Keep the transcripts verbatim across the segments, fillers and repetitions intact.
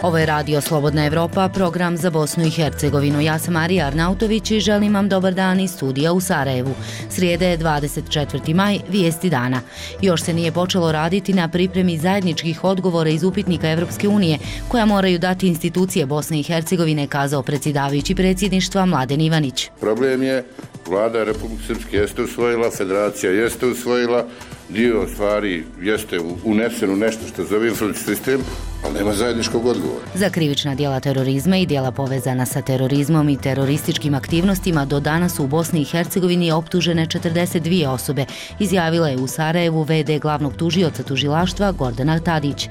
Ovo je Radio Slobodna Evropa, program za Bosnu i Hercegovinu. Ja sam Marija Arnautović i želim vam dobar dan iz studija u Sarajevu. Srijede je dvadeset četvrti maj, vijesti dana. Još se nije počelo raditi na pripremi zajedničkih odgovora iz upitnika Evropske unije, koja moraju dati institucije Bosne i Hercegovine, kazao predsjedavajući predsjedništva Mladen Ivanić. Problem je, vlada Republike Srpske jeste usvojila, federacija jeste usvojila, dio stvari jeste unesen u nešto što zove informacijski sistem, ali nema zajedničkog odgovora. Za krivična djela terorizma i djela povezana sa terorizmom i terorističkim aktivnostima do danas u Bosni i Hercegovini optužene četrdeset dvije osobe, izjavila je u Sarajevu ve de glavnog tužioca tužilaštva Gordana Tadić.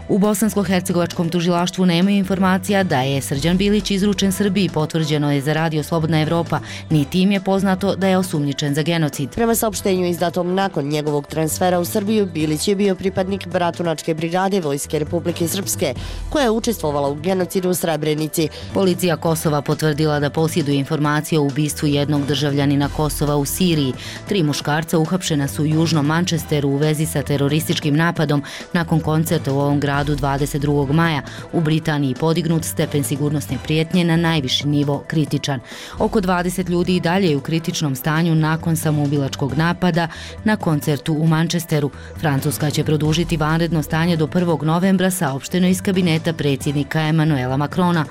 U bosansko-hercegovačkom tužilaštvu nemaju informacija da je Srđan Bilić izručen Srbiji, potvrđeno je za Radio Slobodna Evropa, niti im je poznato da je osumnjičen za genocid. Prema saopštenju izdatom nakon njegovog transfera u Srbiju, Bilić je bio pripadnik Bratunačke brigade Vojske Republike Srpske, koja je učestvovala u genocidu u Srebrenici. Policija Kosova potvrdila da posjeduje informacije o ubistvu jednog državljanina Kosova u Siriji. Tri muškarca uhapšena su u južnom Manchesteru u vezi sa terorističkim napadom nakon koncerta u ovom gradu dvadeset drugog maja. U Britaniji podignut stepen sigurnosne prijetnje na najviši nivo kritičan. Oko dvadeset ljudi i dalje je u kritičnom stanju nakon samoubilačkog napada na koncertu u Manchesteru. Francuska će produžiti vanredno stanje do prvog novembra, saopšteno iz kabineta predsjednika Emanuela Macrona.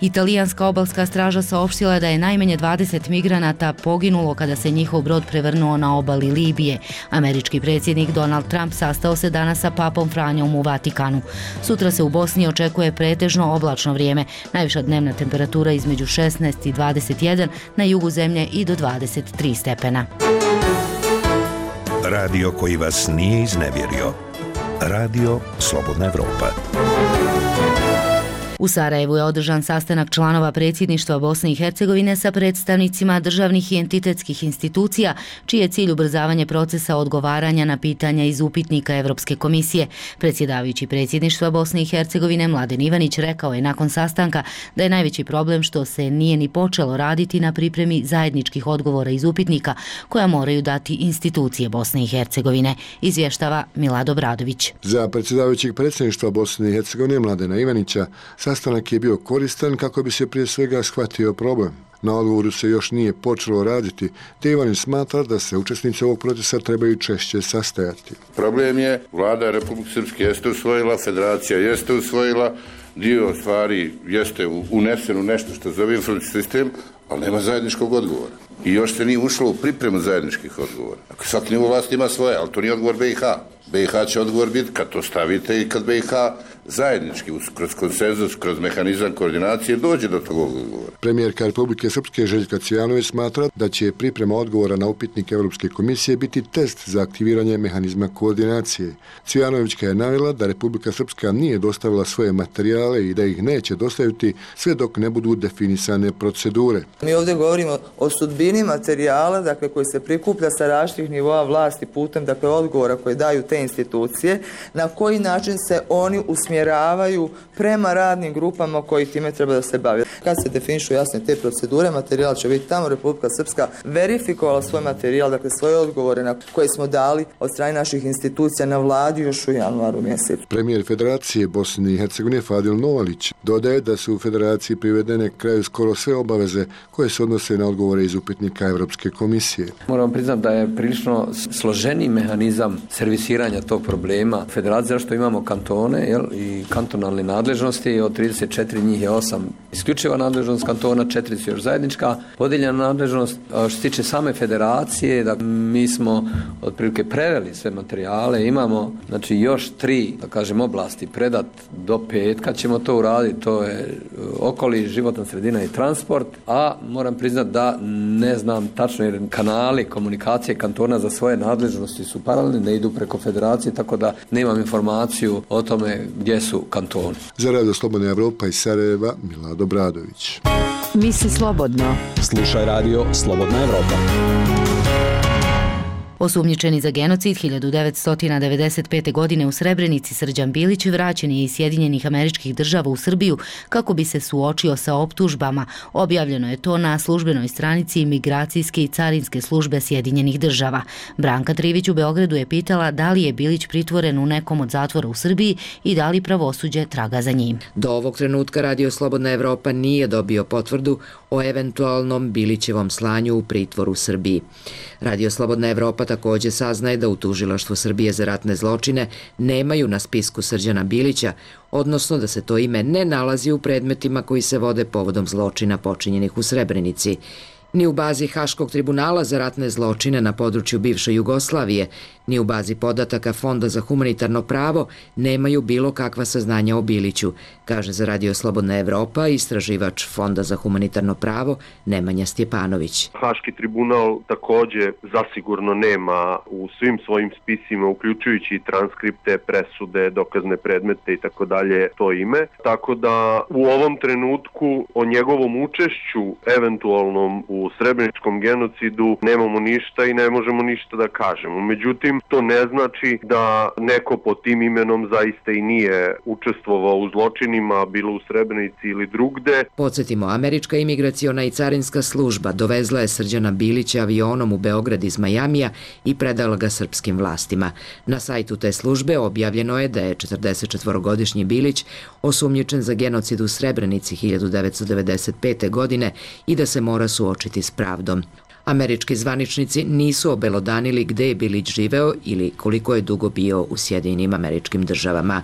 Italijanska obalska straža saopštila da je najmanje dvadeset migranata poginulo kada se njihov brod prevrnuo na obali Libije. Američki predsjednik Donald Trump sastao se danas sa papom Franjom u Vatikanu. Sutra se u Bosni očekuje pretežno oblačno vrijeme. Najviša dnevna temperatura između šesnaest i dvadeset jedan, na jugu zemlje i do dvadeset tri stepena. Radio koji vas nije iznevjerio. Radio Slobodna Evropa. U Sarajevu je održan sastanak članova predsjedništva Bosne i Hercegovine sa predstavnicima državnih i entitetskih institucija, čiji je cilj ubrzavanje procesa odgovaranja na pitanja iz upitnika Evropske komisije. Predsjedavajući predsjedništva Bosne i Hercegovine Mladen Ivanić rekao je nakon sastanka da je najveći problem što se nije ni počelo raditi na pripremi zajedničkih odgovora iz upitnika, koja moraju dati institucije Bosne i Hercegovine, izvještava Milado Bradović. Za predsjedavajućeg predsjedništva Bosne i Hercegovine Mladena Ivanića sastanak je bio koristan kako bi se prije svega shvatio problem. Na odgovoru se još nije počelo raditi, te Ivanić smatra da se učesnici ovog procesa trebaju češće sastajati. Problem je, vlada Republike Srpske jeste usvojila, federacija jeste usvojila, dio stvari jeste unesen u nešto što zove informacijski sistem, ali nema zajedničkog odgovora. I još se nije ušlo u pripremu zajedničkih odgovora. Svaki nivo vlasti ima svoje, ali to nije odgovor be i ha. be i ha će odgovor biti kad to stavite i kad be i ha zajednički, kroz konsenzus, kroz mehanizam koordinacije dođe do tog odgovora. Premijerka Republike Srpske Željka Cvijanović smatra da će priprema odgovora na upitnik Evropske komisije biti test za aktiviranje mehanizma koordinacije. Cvijanovićka je navela da Republika Srpska nije dostavila svoje materijale i da ih neće dostaviti sve dok ne budu definisane procedure. Mi ovdje govorimo o sudbini materijala, dakle, koji se prikuplja sa različitih nivoa vlasti putem, dakle, odgovora koje daju te institucije, na koji način se oni usmjeravaju prema radnim grupama koji time treba da se bave. Kad se definišu jasne te procedure, materijal će biti tamo. Republika Srpska verifikovala svoj materijal, dakle svoje odgovore na koje smo dali od strane naših institucija na vladi još u januaru mjesecu. Premijer Federacije Bosne i Hercegovine Fadil Novalić dodaje da su u Federaciji privedene kraju skoro sve obaveze koje se odnose na odgovore iz upitnika Evropske komisije. Moram priznati da je prilično složeni mehanizam servisiranja tog problema. Federacija, što imamo kantone, jel, i kantonalne nadležnosti, od trideset četiri njih je osam isključiva nadležnost kantona, četiri su još zajednička, podijeljena nadležnost. Što se tiče same federacije, da mi smo otprilike preveli sve materijale, imamo znači još tri, da kažem, oblasti predat do petka ćemo to uraditi, to je okoliš, životna sredina i transport, a moram priznati da ne znam tačno jer kanali komunikacije kantona za svoje nadležnosti su paralelni, ne idu preko federacije, tako da nemam informaciju o tome gdje su kantoni. Za Radio Slobodna Evropa iz Sarajeva, Milado Bradović. Misli slobodno. Slušaj Radio Slobodna Evropa. Osumnjičeni za genocid hiljadu devetsto devedeset pete. godine u Srebrenici Srđan Bilić vraćen je iz Sjedinjenih Američkih Država u Srbiju kako bi se suočio sa optužbama. Objavljeno je to na službenoj stranici Imigracijske i carinske službe Sjedinjenih Država. Branka Trivić u Beogradu je pitala da li je Bilić pritvoren u nekom od zatvora u Srbiji i da li pravosuđe traga za njim. Do ovog trenutka Radio Slobodna Evropa nije dobio potvrdu o eventualnom Bilićevom slanju u pritvor u Srbiji. Radio Slobodna Evropa također saznaje da u Tužilaštvu Srbije za ratne zločine nemaju na spisku Srđana Bilića, odnosno da se to ime ne nalazi u predmetima koji se vode povodom zločina počinjenih u Srebrenici. Ni u bazi Haškog tribunala za ratne zločine na području bivše Jugoslavije, ni u bazi podataka Fonda za humanitarno pravo nemaju bilo kakva saznanja o Biliću, kaže za Radio Slobodna Evropa istraživač Fonda za humanitarno pravo Nemanja Stjepanović. Haški tribunal također zasigurno nema u svim svojim spisima, uključujući transkripte, presude, dokazne predmete i tako dalje, to ime. Tako da u ovom trenutku o njegovom učešću eventualnom u srebreničkom genocidu nemamo ništa i ne možemo ništa da kažemo. Međutim, to ne znači da neko pod tim imenom zaista i nije učestvovao u zločinima, bilo u Srebrenici ili drugde. Podsjetimo, Američka imigraciona i carinska služba dovezla je Srđana Bilića avionom u Beograd iz Majamija i predala ga srpskim vlastima. Na sajtu te službe objavljeno je da je četrdesetčetvorogodišnji Bilić osumnjičen za genocid u Srebrenici hiljadu devetsto devedeset pete. godine i da se mora suočiti s pravdom. Američki zvaničnici nisu obelodanili gde je Bilić živeo ili koliko je dugo bio u Sjedinjenim Američkim Državama.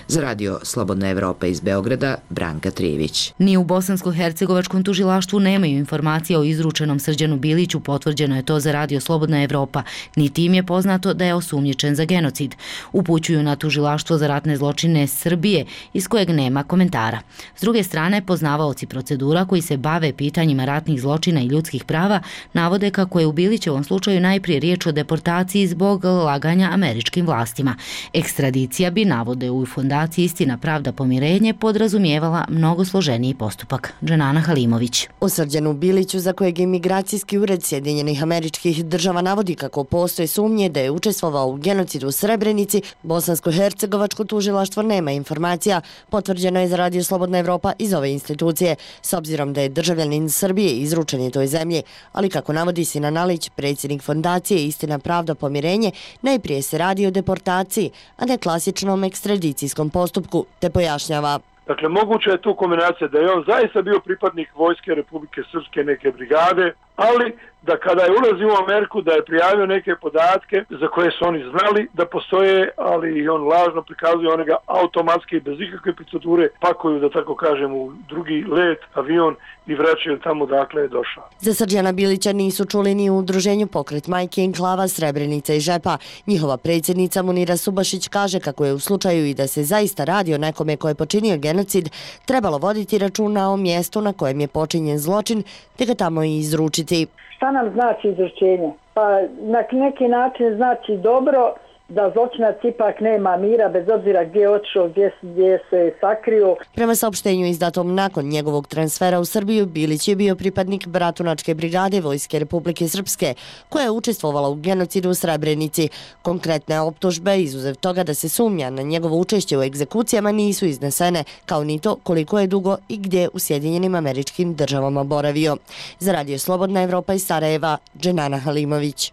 Za Radio Slobodna Evropa iz Beograda, Branka Trivić. Ni u Bosansko-hercegovačkom tužilaštvu nemaju informacije o izručenom Srđanu Biliću, potvrđeno je to za Radio Slobodna Evropa, niti im je poznato da je osumnjičen za genocid. Upućuju na tužilaštvo za ratne zločine Srbije, iz kojeg nema komentara. S druge strane, poznavaoci procedura koji se bave pitanjima ratnih zločina i ljudskih prava navode kako je u Bilićevom slučaju najprije riječ o deportaciji zbog laganja američkim vlastima. Ekstradicija bi, navode u Fondaciji Istina, pravda, pomirenje, podrazumijevala mnogo složeniji postupak. Dženana Halimović. O Srđanu Biliću, za kojeg Imigracijski ured Sjedinjenih Američkih Država navodi kako postoje sumnje da je učestvovao u genocidu u Srebrenici, Bosansko-hercegovačko tužilaštvo nema informacija, potvrđeno je za Radio Slobodna Evropa iz ove institucije, s obzirom da je državljanin Srbije izručen je toj zemlji, ali kako navodi Sinan Alić, predsjednik Fondacije Istina, pravda, pomirenje, najprije se radi o deportaciji, a ne klasičnom ekstradicijskom postupku, te pojašnjava. Dakle, moguća je tu kombinacija da je on zaista bio pripadnik Vojske Republike Srpske neke brigade, ali da kada je ulazio u Ameriku da je prijavio neke podatke za koje su oni znali da postoje, ali i on lažno prikazuje, one ga automatski bez ikakve procedure pakuju, da tako kažem, u drugi let, avion i vraćaju tamo dakle je došao. Za Srđana Bilića nisu čuli ni u udruženju Pokret majke Enklava Srebrenica i Žepa. Njihova predsjednica Munira Subašić kaže kako je u slučaju i da se zaista radi o nekome ko je počinio genocid, trebalo voditi računa o mjestu na kojem je počinjen zločin, te ga tamo i izručiti. Šta nam znači izručenje? Pa na neki način znači dobro da zločinac ipak nema mira bez obzira gdje je otišao, gdje, gdje se sakrio. Prema saopštenju izdatom nakon njegovog transfera u Srbiju, Bilić je bio pripadnik Bratunačke brigade Vojske Republike Srpske, koja je učestvovala u genocidu u Srebrenici. Konkretne optužbe, izuzev toga da se sumnja na njegovo učešće u egzekucijama, nisu iznesene, kao ni to koliko je dugo i gdje u Sjedinjenim Američkim Državama boravio. Za Radio Slobodna Evropa iz Sarajeva, Dženana Halimović.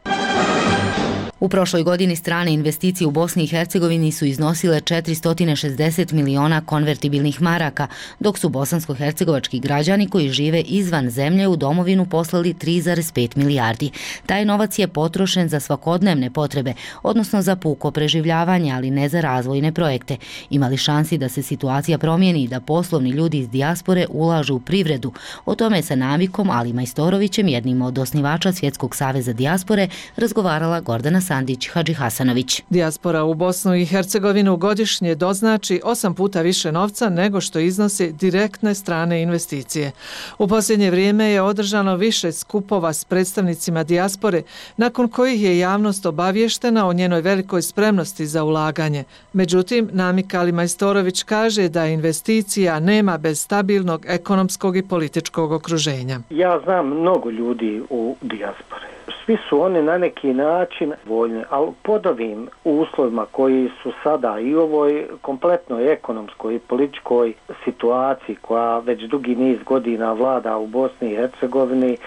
U prošloj godini strane investicije u Bosni i Hercegovini su iznosile četiristo šezdeset miliona konvertibilnih maraka, dok su bosansko-hercegovački građani koji žive izvan zemlje u domovinu poslali tri zarez pet milijardi. Taj novac je potrošen za svakodnevne potrebe, odnosno za puko preživljavanje, ali ne za razvojne projekte. Ima li šansi da se situacija promijeni i da poslovni ljudi iz dijaspore ulažu u privredu? O tome sa Navikom Ali Majstorovićem, jednim od osnivača Svjetskog saveza dijaspore, razgovarala Gordana Sandić Hadži Hasanović. Dijaspora u Bosnu i Hercegovinu godišnje doznači osam puta više novca nego što iznose direktne strane investicije. U posljednje vrijeme je održano više skupova s predstavnicima dijaspore, nakon kojih je javnost obavještena o njenoj velikoj spremnosti za ulaganje. Međutim, Namik Ali Majstorović kaže da investicija nema bez stabilnog ekonomskog i političkog okruženja. Ja znam mnogo ljudi u dijaspore. Svi svi su oni na neki način voljni, ali pod ovim uslovima koji su sada i u ovoj kompletnoj ekonomskoj i političkoj situaciji koja već dugi niz godina vlada u Bosni i Hercegovini,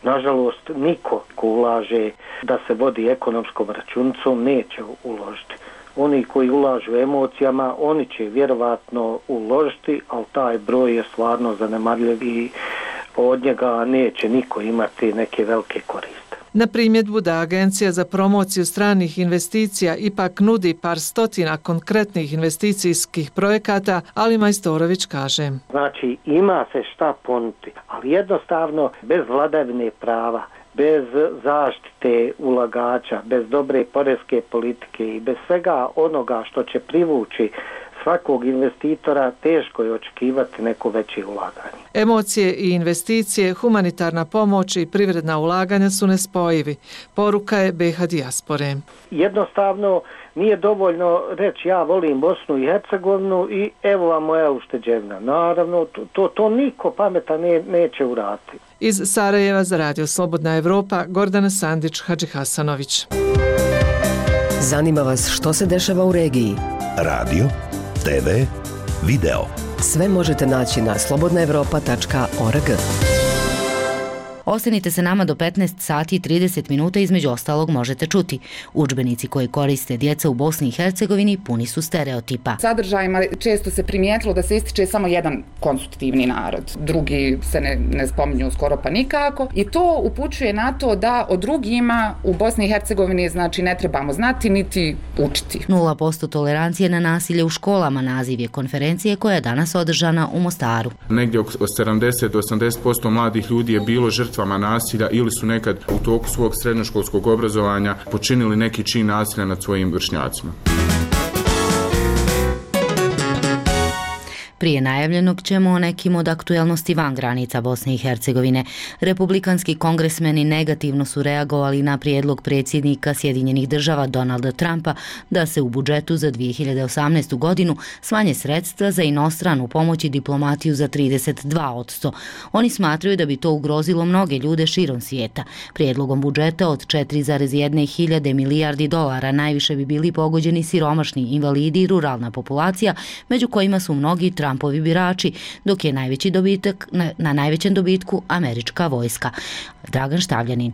nažalost niko ko ulaže da se vodi ekonomskom računicom neće uložiti. Oni koji ulažu emocijama, oni će vjerovatno uložiti, ali taj broj je stvarno zanemarljiv i od njega neće niko imati neke velike koriste. Na primjedbu da Agencija za promociju stranih investicija ipak nudi par stotina konkretnih investicijskih projekata, Ali Majstorović kaže. Znači ima se šta ponuditi, ali jednostavno bez vladavine prava, bez zaštite ulagača, bez dobre poreske politike i bez svega onoga što će privući svakog investitora, teško je očekivati neko veće ulaganje. Emocije i investicije, humanitarna pomoć i privredna ulaganja su nespojivi. Poruka je B H dijaspore. Jednostavno nije dovoljno reći ja volim Bosnu i Hercegovinu i evo vam moja ušteđevina. Naravno, to, to niko pametan ne, neće uraditi. Iz Sarajeva za Radio Slobodna Evropa, Gordana Sandić, Hadžihasanović. Zanima vas što se dešava u regiji? Radio, te ve, video. Sve možete naći na slobodna evropa tačka org. Ostanite se nama do petnaest sati i trideset minuta, između ostalog možete čuti. Udžbenici koji koriste djeca u Bosni i Hercegovini puni su stereotipa. Sadržajima često se primijetilo da se ističe samo jedan konstitutivni narod. Drugi se ne, ne spominju skoro pa nikako i to upućuje na to da o drugima u Bosni i Hercegovini znači ne trebamo znati niti učiti. Nula posto tolerancije na nasilje u školama naziv je konferencije koja je danas održana u Mostaru. Negdje od sedamdeset do osamdeset posto mladih ljudi je bilo žrtva nasilja ili su nekad u toku svog srednjoškolskog obrazovanja počinili neki čin nasilja nad svojim vršnjacima. Prije najavljenog ćemo o nekim od aktuelnosti van granica Bosne i Hercegovine. Republikanski kongresmeni negativno su reagovali na prijedlog predsjednika Sjedinjenih država Donalda Trumpa da se u budžetu za dvije hiljade osamnaestu. godinu smanje sredstva za inostranu pomoć i diplomatiju za trideset dva posto. Oni smatraju da bi to ugrozilo mnoge ljude širom svijeta. Prijedlogom budžeta od četiri zarez jedna hiljade milijardi dolara najviše bi bili pogođeni siromašni, invalidi i ruralna populacija, među kojima su mnogi Trumpovi birači, dok je najveći dobitak, na, na najvećem dobitku američka vojska. Dragan Štavljanin.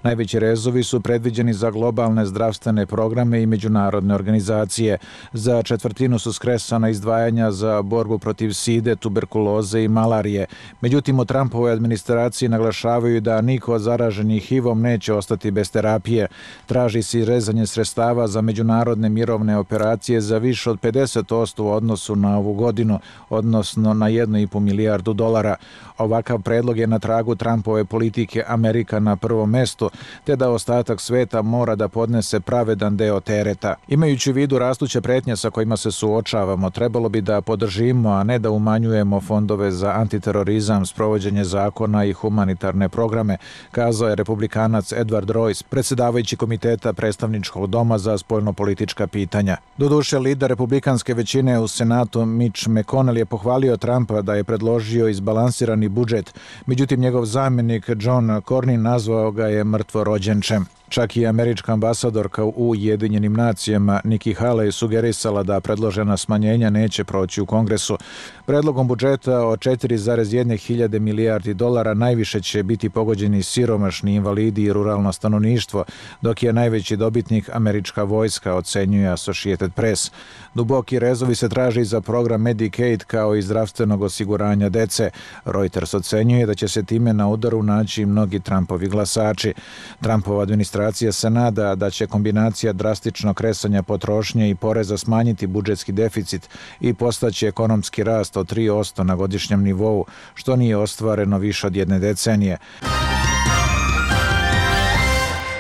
Najveći rezovi su predviđeni za globalne zdravstvene programe i međunarodne organizacije. Za četvrtinu su skresana izdvajanja za borbu protiv side, tuberkuloze i malarije. Međutim, u Trumpovoj administraciji naglašavaju da niko od zaraženih H I V-om neće ostati bez terapije. Traži se rezanje sredstava za međunarodne mirovne operacije za više od pedeset posto u odnosu na ovu godinu, odnosno na jednu i pol milijardu dolara. Ovakav predlog je na tragu Trumpove politike Amerika na prvom mestu, te da ostatak sveta mora da podnese pravedan deo tereta. Imajući u vidu rastuće pretnje sa kojima se suočavamo, trebalo bi da podržimo, a ne da umanjujemo fondove za antiterorizam, sprovođenje zakona i humanitarne programe, kazao je republikanac Edward Royce, predsjedavajući komiteta predstavničkog doma za spoljnopolitička pitanja. Doduše, lider republikanske većine u Senatu Mitch McConnell je pohvalio Trumpa da je predložio izbalansirani budžet, međutim njegov zamjenik John Cornyn nazvao ga je mrtvorođenčem. Čak i američka ambasadorka u Ujedinjenim nacijama Nikki Haley sugerisala da predložena smanjenja neće proći u Kongresu. Predlogom budžeta od četiri zarez jedna hiljade milijardi dolara najviše će biti pogođeni siromašni, invalidi i ruralno stanovništvo, dok je najveći dobitnik američka vojska, ocenjuje Associated Press. Duboki rezovi se traži za program Medicaid kao i zdravstvenog osiguranja dece. Reuters ocenjuje da će se time na udaru naći mnogi Trumpovi glasači. Trumpova administracija se nada da će kombinacija drastičnog kresanja potrošnje i poreza smanjiti budžetski deficit i postaći ekonomski rast od tri posto na godišnjem nivou, što nije ostvareno više od jedne decenije.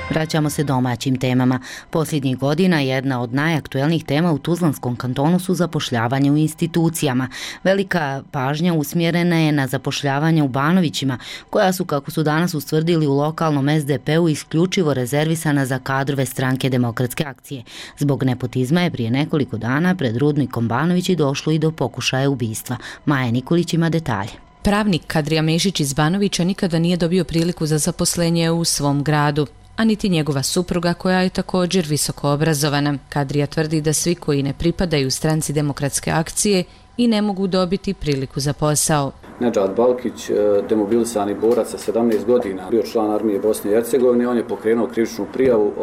Vraćamo se domaćim temama. Posljednjih godina jedna od najaktuelnijih tema u Tuzlanskom kantonu su zapošljavanje u institucijama. Velika pažnja usmjerena je na zapošljavanje u Banovićima, koja su, kako su danas ustvrdili u lokalnom S D P-u, isključivo rezervisana za kadrove Stranke demokratske akcije. Zbog nepotizma je prije nekoliko dana pred rudnikom Banovići došlo i do pokušaja ubistva. Maja Nikolić ima detalje. Pravnik Kadrija Mešić iz Banovića nikada nije dobio priliku za zaposlenje u svom gradu. a niti njegova supruga koja je također visoko obrazovana. Kadrija tvrdi da svi koji ne pripadaju stranci Demokratske akcije i ne mogu dobiti priliku za posao. Nedžad Balkić, demobilisani borac sa sedamnaest godina, bio član armije Bosne i Hercegovine, on je pokrenuo krivičnu prijavu,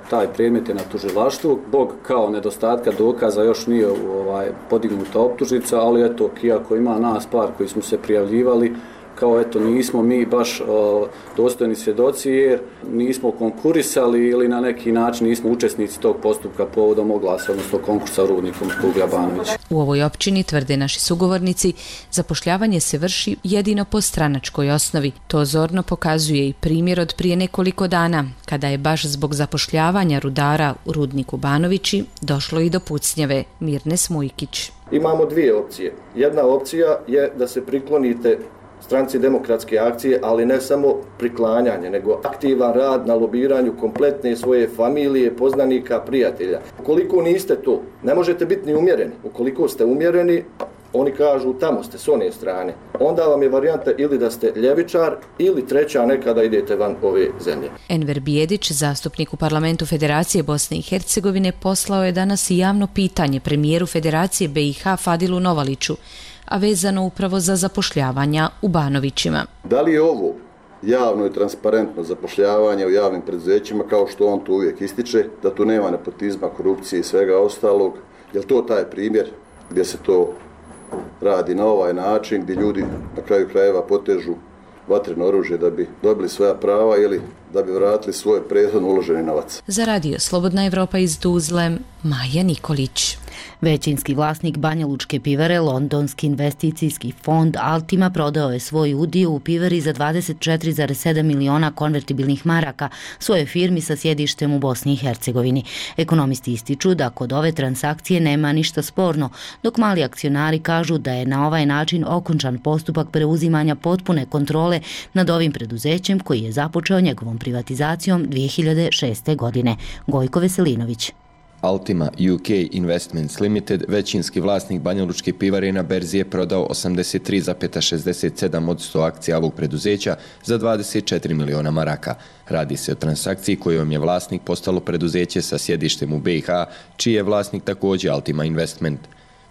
taj predmet je na tužilaštvu. Zbog kao nedostatka dokaza još nije ovaj, podignuta optužnica, ali eto, iako ima nas par koji smo se prijavljivali, kao eto nismo mi baš o, dostojni svjedoci jer nismo konkurisali ili na neki način nismo učesnici tog postupka povodom oglasa, odnosno konkursa u rudnikom Tuglja Banovića. U ovoj općini, tvrde naši sugovornici, zapošljavanje se vrši jedino po stranačkoj osnovi. To zorno pokazuje i primjer od prije nekoliko dana, kada je baš zbog zapošljavanja rudara u rudniku Banovići došlo i do pucnjave. Mirne Smujkić. Imamo dvije opcije. Jedna opcija je da se priklonite stranci Demokratske akcije, ali ne samo priklanjanje, nego aktivan rad na lobiranju kompletne svoje familije, poznanika, prijatelja. Ukoliko niste to, ne možete biti ni umjereni. Ukoliko ste umjereni, oni kažu tamo ste s one strane. Onda vam je varijanta ili da ste ljevičar ili treća nekada idete van ove zemlje. Enver Bijedić, zastupnik u parlamentu Federacije Bosne i Hercegovine, poslao je danas i javno pitanje premijeru Federacije B i H Fadilu Novaliću, a vezano upravo za zapošljavanja u Banovićima. Da li je ovo javno i transparentno zapošljavanje u javnim preduzećima, kao što on tu uvijek ističe, da tu nema nepotizma, korupcije i svega ostalog? Je li to taj primjer gdje se to radi na ovaj način, gdje ljudi na kraju krajeva potežu vatreno oružje da bi dobili svoja prava ili da bi vratili svoj prethodno uloženi novac? Za radio Slobodna Evropa iz Tuzle, Maja Nikolić. Većinski vlasnik Banjalučke pivare, londonski investicijski fond Altima, prodao je svoj udio u pivari za dvadeset četiri zarez sedam miliona konvertibilnih maraka svojoj firmi sa sjedištem u Bosni i Hercegovini. Ekonomisti ističu da kod ove transakcije nema ništa sporno, dok mali akcionari kažu da je na ovaj način okončan postupak preuzimanja potpune kontrole nad ovim preduzećem koji je započeo njegovom privatizacijom dvije hiljade šeste. godine. Gojko Veselinović. Altima U K Investments Limited, većinski vlasnik Banjalučke pivare, na berzi je prodao osamdeset tri zarez šezdeset sedam posto akcija ovog preduzeća za dvadeset četiri miliona maraka. Radi se o transakciji kojom je vlasnik postalo preduzeće sa sjedištem u B i H, čiji je vlasnik također Altima Investment.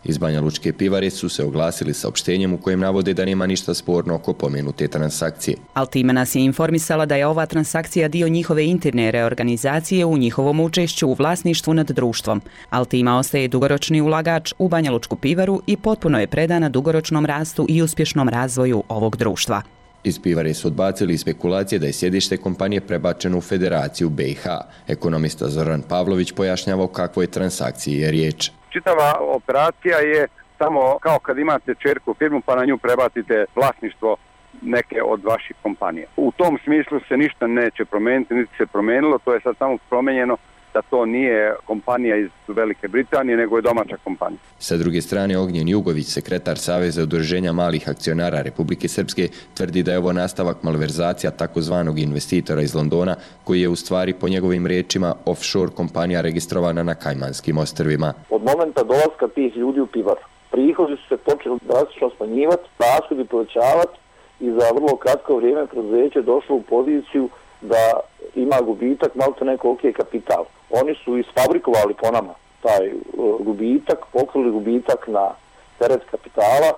Iz Banjalučke pivare su se oglasili saopštenjem u kojem navode da nema ništa sporno oko pomenute transakcije. Altima nas je informisala da je ova transakcija dio njihove interne reorganizacije u njihovom učešću u vlasništvu nad društvom. Altima ostaje dugoročni ulagač u Banjalučku pivaru i potpuno je predana dugoročnom rastu i uspješnom razvoju ovog društva. Iz pivare su odbacili spekulacije da je sjedište kompanije prebačeno u Federaciju B i H. Ekonomista Zoran Pavlović pojašnjava o kakvoj transakciji je riječ. Čitava operacija je samo kao kad imate čerku firmu pa na nju prebacite vlasništvo neke od vaših kompanija. U tom smislu se ništa neće promijeniti, niti se promijenilo, to je sad samo promijenjeno da to nije kompanija iz Velike Britanije, nego je domaća kompanija. Sa druge strane, Ognjen Jugović, sekretar Saveza udruženja malih akcionara Republike Srpske, tvrdi da je ovo nastavak malverzacija takozvanog investitora iz Londona, koji je u stvari po njegovim riječima offshore kompanija registrovana na Kajmanskim ostrvima. Od momenta dolaska tih ljudi u pivaru, prihodi su se počeli drastično smanjivati, rashodi povećavati i za vrlo kratko vrijeme preduzeće došlo u poziciju da ima gubitak, malo to neko ok kapital. Oni su isfabrikovali po nama taj uh, gubitak, pokrili gubitak na teret kapitala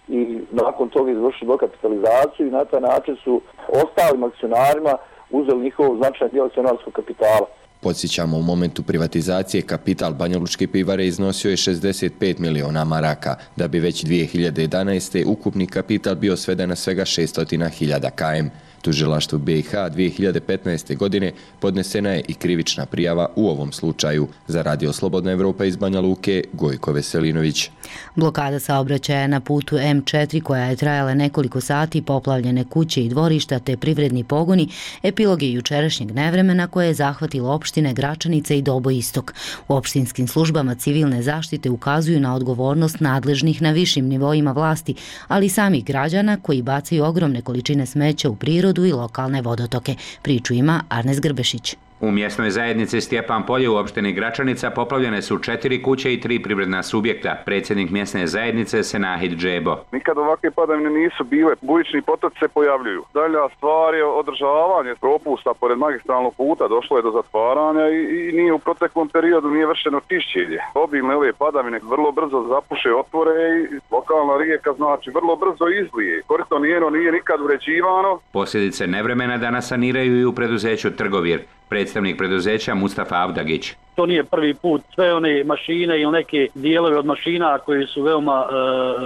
i nakon toga izvršili dokapitalizaciju i na taj način su ostalim akcionarima uzeli njihov značajan dio akcionarskog kapitala. Podsjećamo, u momentu privatizacije kapital Banjalučke pivare iznosio je šezdeset pet miliona maraka, da bi već dvije hiljade jedanaeste. ukupni kapital bio sveden na svega šesto hiljada km. Tužilaštvu B i H dvije hiljade petnaeste. godine podnesena je i krivična prijava u ovom slučaju. Za radio Slobodna Evropa iz Banja Luke, Gojko Veselinović. Blokada saobraćaja na putu M četiri koja je trajala nekoliko sati, poplavljene kuće i dvorišta te privredni pogoni, epilog je jučerašnjeg nevremena koje je zahvatilo opštine Gračanice i Dobo Istok. U opštinskim službama civilne zaštite ukazuju na odgovornost nadležnih na višim nivoima vlasti, ali i samih građana koji bacaju ogromne količine smeća u prirodu i lokalne vodotoke. Priču ima Arnes Grbešić. U mjesnoj zajednici Stjepan Polje u opštini Gračanica poplavljene su četiri kuće i tri privredna subjekta. Predsjednik mjesne zajednice Senahid Džebo. Nikad ovakve padavine nisu bile, bujični potoci se pojavljuju. Dalja stvar je održavanje propusta pored magistralnog puta, došlo je do zatvaranja i, i nije u proteklom periodu nije vršeno čišćenje. Obilne ove padavine vrlo brzo zapuše otvore i lokalna rijeka znači vrlo brzo izlije. Korito njeno nije nikad uređivano. Posljedice nevremena danas saniraju i u preduzeću Trgovir. Predstavnik preduzeća Mustafa Avdagić. To nije prvi put, sve one mašine ili neke dijelove od mašina koji su veoma e,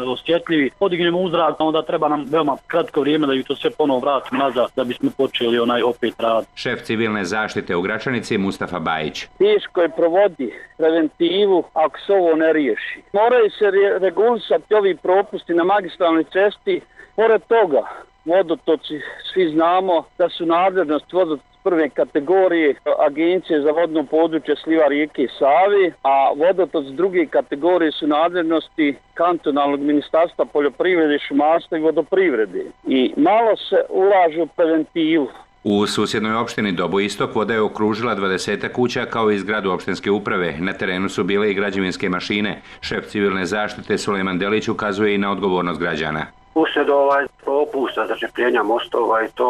osjetljivi. Podignemo u zrak, onda treba nam veoma kratko vrijeme da ih to sve ponovo vratimo nazad da bismo počeli onaj opet rad. Šef civilne zaštite u Gračanici Mustafa Bajić. Teško je provodi preventivu ako se ovo ne riješi. Moraju se re- regulisati ovi propusti na magistralnoj cesti. Pored toga, vodotoci, svi znamo da su nadležnost vodotoci prve kategorije Agencije za vodno područje sliva rijeke Save, a vodotoc druge kategorije su nadležnosti kantonalnog ministarstva poljoprivrede, šumarstva i vodoprivrede. I malo se ulaže u preventivu. U susjednoj opštini Dobo Istok voda je okružila dvadeset kuća kao i zgradu opštinske uprave. Na terenu su bile i građevinske mašine. Šef civilne zaštite Sulejman Delić ukazuje i na odgovornost građana. Uslijed ovaj propusta začepljenja mostova i to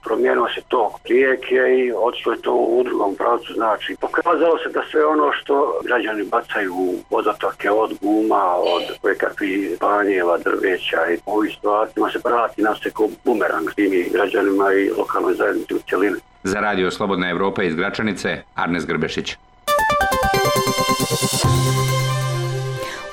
promijenilo se tok rijeke i otišlo je to u drugom pravcu. Znači, pokazalo se da sve ono što građani bacaju u vodotoke od guma, od kojekakvih banjeva, drveća i ovih stvarima se vrati nas se kao bumerang tim građanima i lokalnoj zajednici u cjelini. Za Radio Slobodna Evropa iz Gračanice, Arnes Grbešić.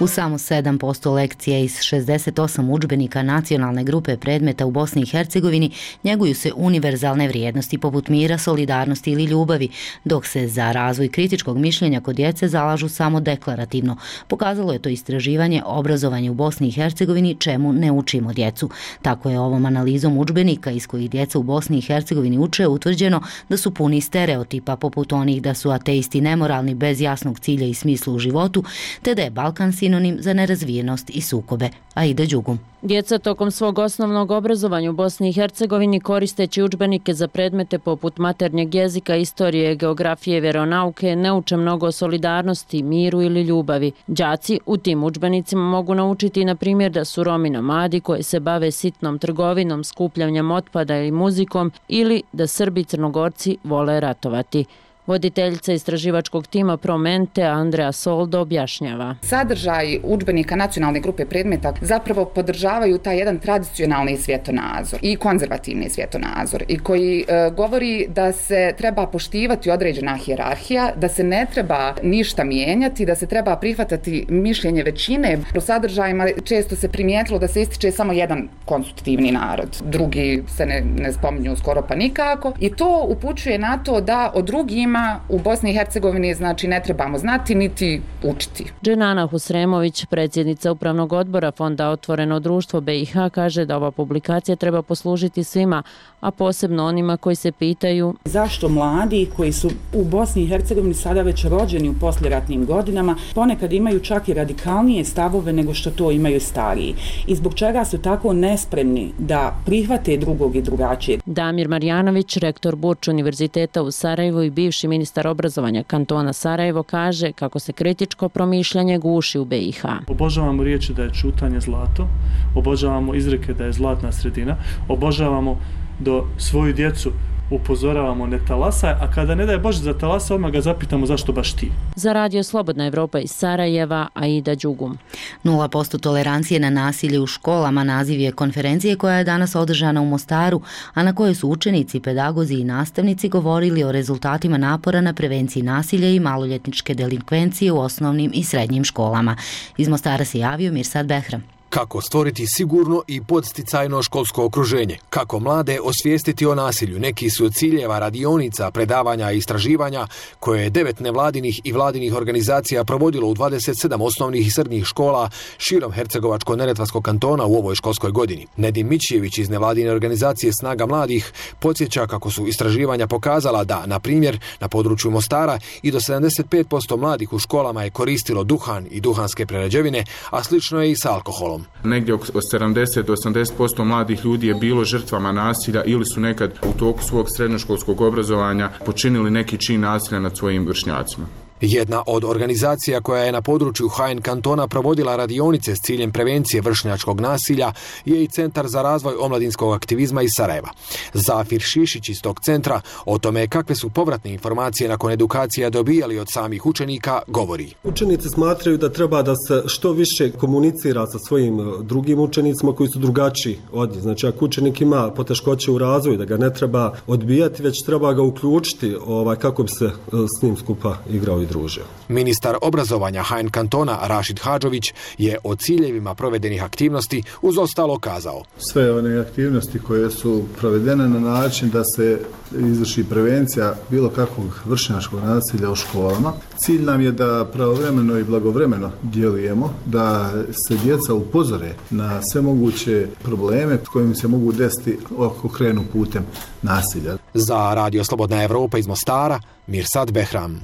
U samo sedam posto lekcija iz šezdeset osam udžbenika nacionalne grupe predmeta u Bosni i Hercegovini njeguju se univerzalne vrijednosti poput mira, solidarnosti ili ljubavi, dok se za razvoj kritičkog mišljenja kod djece zalažu samo deklarativno. Pokazalo je to istraživanje obrazovanje u Bosni i Hercegovini čemu ne učimo djecu. Tako je ovom analizom udžbenika iz kojih djeca u Bosni i Hercegovini uče utvrđeno da su puni stereotipa poput onih da su ateisti nemoralni bez jasnog cilja i smisla u životu, te da je Balkan sinonim za nerazvijenost i sukobe. Aida Đugum. Djeca tokom svog osnovnog obrazovanja u Bosni i Hercegovini koristeći udžbenike za predmete poput maternjeg jezika, istorije, geografije, vjeronauke ne uče mnogo o solidarnosti, miru ili ljubavi. Đaci u tim udžbenicima mogu naučiti na primjer da su Romi nomadi koji se bave sitnom trgovinom, skupljanjem otpada i muzikom ili da Srbi i Crnogorci vole ratovati. Voditeljica istraživačkog tima Promente Andrea Soldo objašnjava. Sadržaj udžbenika nacionalne grupe predmeta zapravo podržavaju taj jedan tradicionalni svjetonazor i konzervativni svjetonazor i koji e, govori da se treba poštivati određena hijerarhija, da se ne treba ništa mijenjati, da se treba prihvatati mišljenje većine. U sadržajima često se primijetilo da se ističe samo jedan konstitutivni narod, drugi se ne, ne spominju skoro pa nikako i to upućuje na to da o drugima u Bosni i Hercegovini znači ne trebamo znati niti učiti. Dženana Husremović, predsjednica upravnog odbora Fonda Otvoreno društvo B i H, kaže da ova publikacija treba poslužiti svima, a posebno onima koji se pitaju zašto mladi koji su u Bosni i Hercegovini sada već rođeni u poslijeratnim godinama ponekad imaju čak i radikalnije stavove nego što to imaju stariji i zbog čega su tako nespremni da prihvate drugog i drugačije. Damir Marjanović, rektor Burč univerziteta u Sarajevu i bivši ministar obrazovanja kantona Sarajevo, kaže kako se kritičko promišljanje guši u B i H. Obožavamo riječi da je čutanje zlato, obožavamo izreke da je zlatna sredina, obožavamo do svoju djecu upozoravamo ne talasaj, a kada ne daje Bože za talasa, odmah ga zapitamo zašto baš ti. Za Radio Slobodna Evropa iz Sarajeva, Aida Đugum. nula posto tolerancije na nasilje u školama naziv je konferencije koja je danas održana u Mostaru, a na kojoj su učenici, pedagozi i nastavnici govorili o rezultatima napora na prevenciji nasilja i maloljetničke delinkvencije u osnovnim i srednjim školama. Iz Mostara se javio Mirsad Behram. Kako stvoriti sigurno i podsticajno školsko okruženje? Kako mlade osvijestiti o nasilju? Neki su od ciljeva radionica, predavanja i istraživanja koje je devet nevladinih i vladinih organizacija provodilo u dvadeset sedam osnovnih i srednjih škola širom Hercegovačko-neretvanskog kantona u ovoj školskoj godini. Nedim Mićević iz nevladine organizacije Snaga mladih podsjeća kako su istraživanja pokazala da, na primjer, na području Mostara i do sedamdeset pet posto mladih u školama je koristilo duhan i duhanske prerađevine, a slično je i sa alkoholom. Negdje oko sedamdeset do osamdeset posto mladih ljudi je bilo žrtvama nasilja ili su nekad u toku svog srednjoškolskog obrazovanja počinili neki čin nasilja nad svojim vršnjacima. Jedna od organizacija koja je na području H N kantona provodila radionice s ciljem prevencije vršnjačkog nasilja je i Centar za razvoj omladinskog aktivizma iz Sarajeva. Zafir Šišić iz tog centra o tome kakve su povratne informacije nakon edukacija dobijali od samih učenika govori. Učenici smatraju da treba da se što više komunicira sa svojim drugim učenicima koji su drugačiji od njih. Znači ako učenik ima poteškoće u razvoju, da ga ne treba odbijati, već treba ga uključiti ovaj, kako bi se s njim skupa igrao i družio. Ministar obrazovanja H N kantona Rašid Hadžović je o ciljevima provedenih aktivnosti uz ostalo kazao. Sve one aktivnosti koje su provedene na način da se izvrši prevencija bilo kakvog vršnjačkog nasilja u školama. Cilj nam je da pravovremeno i blagovremeno djelujemo, da se djeca upozore na sve moguće probleme s kojim se mogu desiti ako krenu putem nasilja. Za Radio Slobodna Evropa iz Mostara, Mirsad Behram.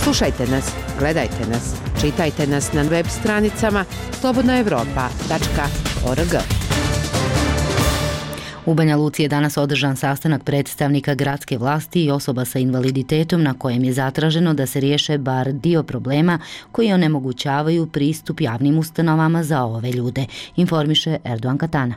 Slušajte nas, gledajte nas, čitajte nas na web stranicama slobodna evropa tačka org. U Banja Luci je danas održan sastanak predstavnika gradske vlasti i osoba sa invaliditetom na kojem je zatraženo da se riješe bar dio problema koji onemogućavaju pristup javnim ustanovama za ove ljude, informiše Erdogan Katana.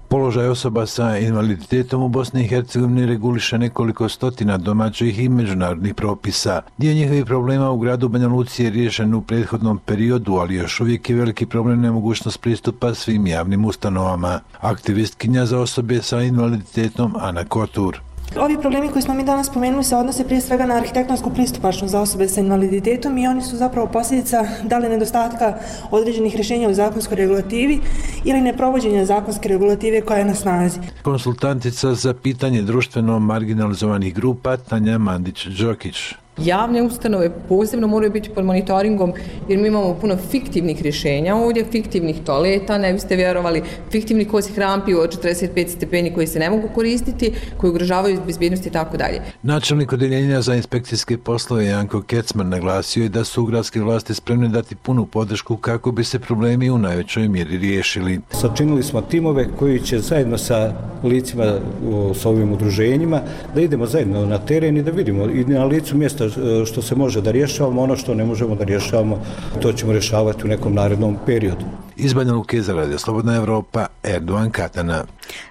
Položaj osoba sa invaliditetom u Bosni i Hercegovini reguliše nekoliko stotina domaćih i međunarodnih propisa. Dio njihovih problema u gradu Banja Luci je riješen u prethodnom periodu, ali još uvijek je veliki problem nemogućnost pristupa svim javnim ustanovama. Aktivistkinja za osobe sa invaliditetom Ana Kotur. Ovi problemi koji smo mi danas spomenuli se odnose prije svega na arhitektonsku pristupačnost za osobe sa invaliditetom i oni su zapravo posljedica da li nedostatka određenih rješenja u zakonskoj regulativi ili neprovođenja zakonske regulative koja je na snazi. Konsultantica za pitanje društveno marginalizovanih grupa Tanja Mandić-Đokić. Javne ustanove posebno moraju biti pod monitoringom jer mi imamo puno fiktivnih rješenja ovdje, fiktivnih toaleta, ne biste vjerovali, fiktivnih kosih rampi od četrdeset pet stepeni koji se ne mogu koristiti, koji ugrožavaju bezbjednost i tako dalje. Načelnik odjeljenja za inspekcijske poslove Janko Kecman naglasio je da su gradske vlasti spremne dati punu podršku kako bi se problemi u najvećoj mjeri riješili. Sačinili smo timove koji će zajedno sa licima, s ovim udruženjima, da idemo zajedno na teren i da vidimo i na licu mjesta što se može da rješavamo, ono što ne možemo da rješavamo, to ćemo rješavati u nekom narednom periodu. Iz Banja Luke za Radio Slobodna Evropa, Erdogan Katana.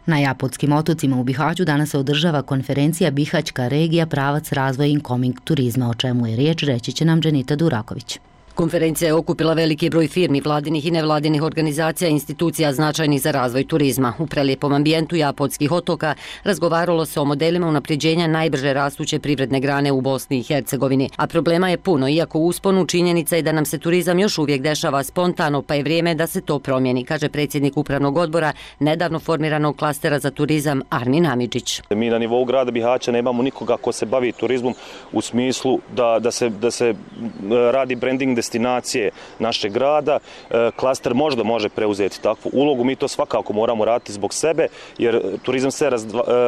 Na Japotskim otocima u Bihaću danas se održava konferencija Bihaćka regija pravac razvoja incoming turizma, o čemu je riječ, reći će nam Dženita Duraković. Konferencija je okupila veliki broj firmi, vladinih i nevladinih organizacija i institucija značajnih za razvoj turizma. U prelijepom ambijentu Japotskih otoka razgovaralo se o modelima unapređenja najbrže rastuće privredne grane u Bosni i Hercegovini. A problema je puno, iako u usponu činjenica je da nam se turizam još uvijek dešava spontano, pa je vrijeme da se to promijeni, kaže predsjednik upravnog odbora nedavno formiranog klastera za turizam Armin Amidžić. Mi na nivou grada Bihaća nemamo nikoga ko se bavi turizmom u smislu da, da, se, da se radi branding destinacije našeg grada. Klaster možda može preuzeti takvu ulogu, mi to svakako moramo raditi zbog sebe, jer turizam se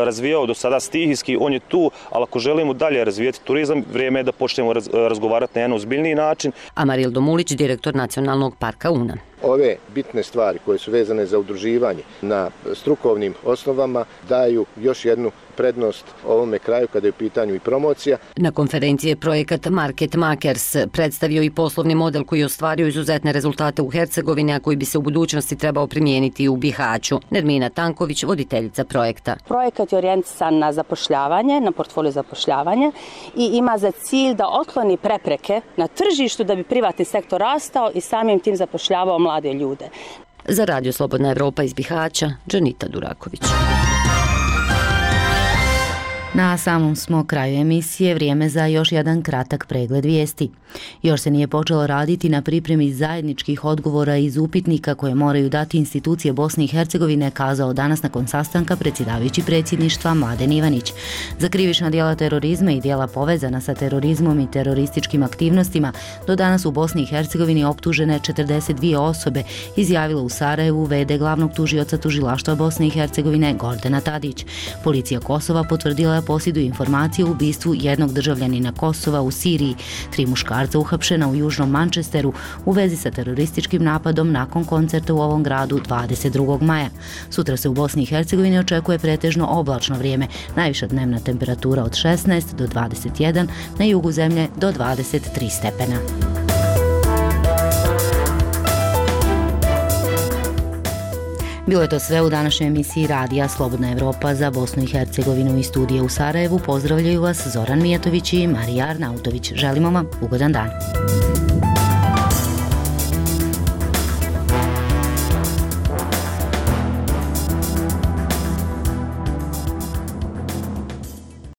razvijao do sada stihijski, on je tu, ali ako želimo dalje razvijeti turizam, vrijeme je da počnemo razgovarati na jedan ozbiljniji način. Amaril Domulić, direktor Nacionalnog parka Una. Ove bitne stvari koje su vezane za udruživanje na strukovnim osnovama daju još jednu prednost ovome kraju kada je u pitanju i promocija. Na konferenciji je projekat Market Makers predstavio i poslovni model koji je ostvario izuzetne rezultate u Hercegovini, a koji bi se u budućnosti trebao primijeniti i u Bihaću. Nermina Tanković, voditeljica projekta. Projekat je orijentisan na zapošljavanje, na portfolio zapošljavanja i ima za cilj da otkloni prepreke na tržištu da bi privatni sektor rastao i samim tim zapošljavao mlade ljude. Za Radio Slobodna Evropa iz Bihaća, Dženita Duraković. Na samom smo kraju emisije, vrijeme za još jedan kratak pregled vijesti. Još se nije počelo raditi na pripremi zajedničkih odgovora iz upitnika koje moraju dati institucije Bosne i Hercegovine, kazao danas nakon sastanka predsjedavajući predsjedništva Mladen Ivanić. Za krivična djela terorizma i djela povezana sa terorizmom i terorističkim aktivnostima do danas u Bosni i Hercegovini optužene četrdeset dvije osobe, izjavila u Sarajevu vede glavnog tužioca tužilaštva Bosne i Hercegovine Gordana Tadić. Policija Kosova potvrdila da posjeduju informacije o ubistvu jednog državljanina Kosova u Siriji. Tri muškarca uhapšena u južnom Manchesteru u vezi sa terorističkim napadom nakon koncerta u ovom gradu dvadeset drugog maja. Sutra se u Bosni i Hercegovini očekuje pretežno oblačno vrijeme, najviša dnevna temperatura od šesnaest do dvadeset jedan, na jugu zemlje do dvadeset tri stepena. Bilo je to sve u današnjoj emisiji Radija Slobodna Evropa za Bosnu i Hercegovinu. Iz studija u Sarajevu pozdravljaju vas Zoran Mijatović i Marija Arnautović. Želimo vam ugodan dan.